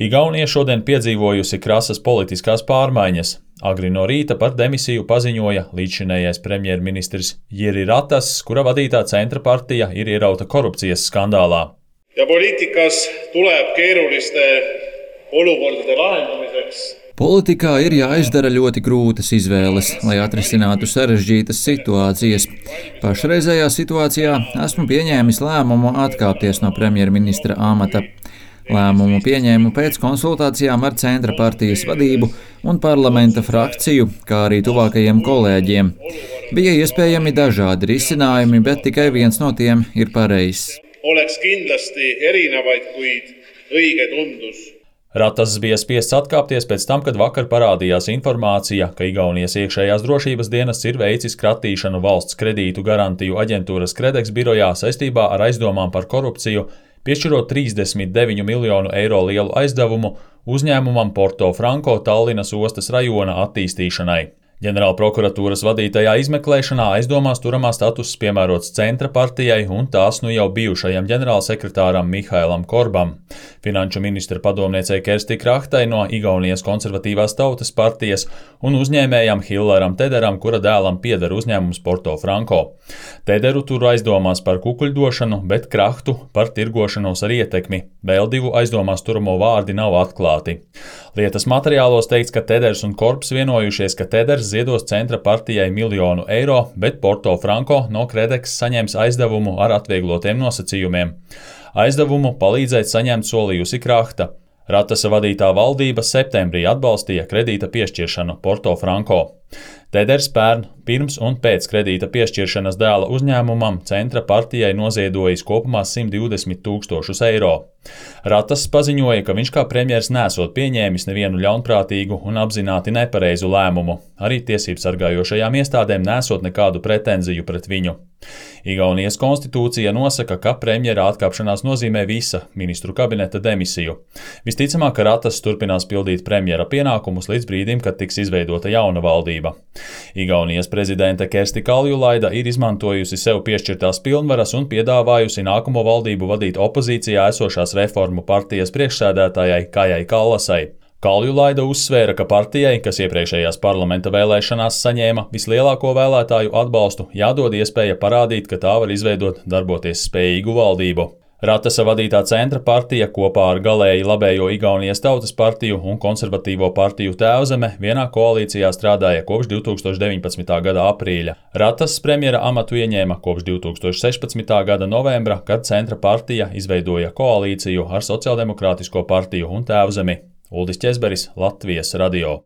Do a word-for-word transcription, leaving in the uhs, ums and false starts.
Igaunija šodien piedzīvojusi krasas politiskās pārmaiņas. Agri no rīta par demisiju paziņoja līdzšinējais premjerministrs Jiri Ratas, kura vadītā centra partija ir ierauta korupcijas skandālā. Ja poliitikas tuleb keeruliste olukordade lahendamiseks. Politikā ir jāizdara ļoti grūtas izvēles, lai atrisinātu sarežģītas situācijas. Pašreizējā situācijā esmu pieņēmis lēmumu atkāpties no premjerministra amata. Lēmumu pieņēmu pēc konsultācijām ar centra partijas vadību un parlamenta frakciju, kā arī tuvākajiem kolēģiem. Bija iespējami dažādi risinājumi, bet tikai viens no tiem ir pareizs. Oleks kindlasti erinevaid, kuid õige tundus. Ratas bija spiests atkāpties pēc tam, kad vakar parādījās informācija, ka Igaunijas iekšējās drošības dienests ir veicis kratīšanu valsts kredītu garantiju aģentūras Kredex birojā saistībā ar aizdomām par korupciju, piešķirot trīsdesmit deviņu miljonu eiro lielu aizdevumu uzņēmumam Porto Franko Tallinas ostas rajona attīstīšanai. Ģenerālprokuratūras vadītajā izmeklēšanā aizdomās turamā status piemērots centra partijai un tās nu jau bijušajam ģenerālsekretāram Mihailam Korbam, finanšu ministra padomniecei Kersti Krahtai no Igaunijas konservatīvās tautas partijas un uzņēmējam Hilleram Tederam, kura dēlam pieder uzņēmums Porto Franko. Tederu tur aizdomās par kukuļdošanu, bet Krahtu par tirgošanos ar ietekmi. Vēl divu aizdomās turamo vārdi nav atklāti. Lietas materiālos teikts, ka Teders un Korbs vienojušies, ka Teders ziedos centra partijai miljonu eiro, bet Porto Franko no Kredex saņems aizdevumu ar atvieglotiem nosacījumiem. Aizdevumu palīdzēt saņemt solījusi Krahta. Ratasa vadītā valdība septembrī atbalstīja kredīta piešķiršanu Porto Franko. Teders pērn pirms un pēc kredīta piešķiršanas dēla uzņēmumam centra partijai noziedojis kopumā simt divdesmit tūkstošus eiro. Ratas paziņoja, ka viņš kā premjers nesot pieņēmis nevienu ļaunprātīgu un apzināti nepareizu lēmumu. Arī tiesību sargājošajām iestādēm nesot nekādu pretenziju pret viņu. Igaunijas konstitūcija nosaka, ka premjera atkāpšanās nozīmē visa ministru kabineta demisiju. Visticamāk, ka Ratas turpinās pildīt premjera pienākumus līdz brīdim, kad tiks izveidota jauna valdība. Igaunijas prezidente Kersti Kaljulaida ir izmantojusi sev piešķirtās pilnvaras un piedāvājusi nākamo valdību vadīt opozīcijā esošās reformu partijas priekšsēdētājai Kajai Kallasai. Kaljulaida uzsvēra, ka partijai, kas iepriekšējās parlamenta vēlēšanās saņēma vislielāko vēlētāju atbalstu, jādod iespēja parādīt, ka tā var izveidot darboties spējīgu valdību. Ratasa vadītā centra partija kopā ar galēji labējo Igaunijas tautas partiju un konservatīvo partiju Tēvzeme vienā koalīcijā strādāja kopš divi tūkstoši deviņpadsmitā gada aprīļa. Ratas premjera amatu ieņēma kopš divi tūkstoši sešpadsmitā gada novembra, kad centra partija izveidoja koalīciju ar Sociāldemokrātisko partiju un Tēvzemi. Uldis Ķezberis, Latvijas radio.